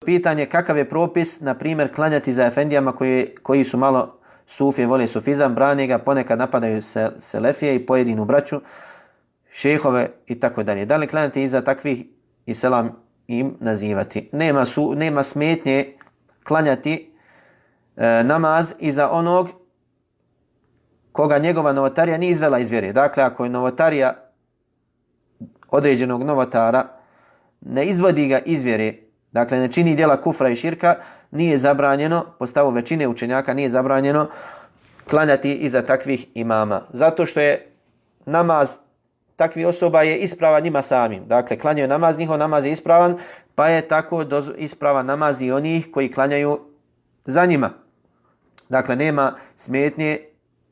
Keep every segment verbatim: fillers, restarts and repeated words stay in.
Pitanje kakav je propis, na primjer, klanjati za efendijama koji, koji su malo sufije, vole sufizam, brane ga, ponekad napadaju se, selefije i pojedinu braću, šehove i tako dalje. Da li klanjati iza takvih i selam im nazivati? Nema, su, nema smetnje klanjati e, namaz iza onog koga njegova novotarija nije izvela iz vjere. Dakle, ako je novotarija određenog novotara, ne izvodi ga iz vjere, dakle ne čini djela kufra i širka, nije zabranjeno, po stavu većine učenjaka nije zabranjeno klanjati iza takvih imama. Zato što je namaz takvih osoba je ispravan njima samim. Dakle, klanjaju namaz, njihov namaz je ispravan, pa je tako ispravan namaz i onih koji klanjaju za njima. Dakle, nema smetnje,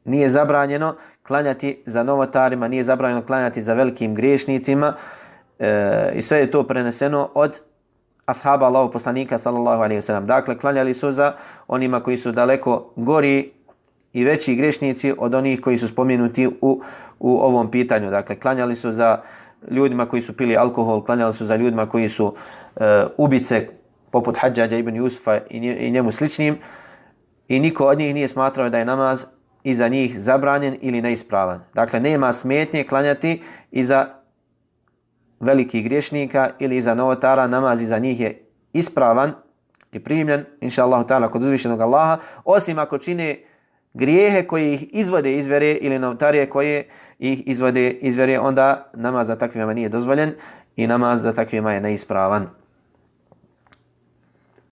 nije zabranjeno klanjati za novotarima, nije zabranjeno klanjati za velikim griješnicima e, i sve je to preneseno od ashaba Allahov poslanika sallallahu alejhi ve sellem. Dakle, klanjali su za onima koji su daleko gori i veći grešnici od onih koji su spomenuti u, u ovom pitanju. Dakle, klanjali su za ljudima koji su pili alkohol, klanjali su za ljudima koji su e, ubice poput Hadžađa ibn Jusufa i, nje, i njemu sličnim i niko od njih nije smatrao da je namaz iza njih zabranjen ili neispravan. Dakle, nema smetnje klanjati iza velikih griješnika ili iza novotara, namaz iza njih je ispravan i primljen, inša Allahu ta'ala, kod uzvišenog Allaha, osim ako čine grijehe koji ih izvode iz vjere ili novotarije koje ih izvode iz vjere, onda namaz za takvima nije dozvoljen i namaz za takvima je neispravan.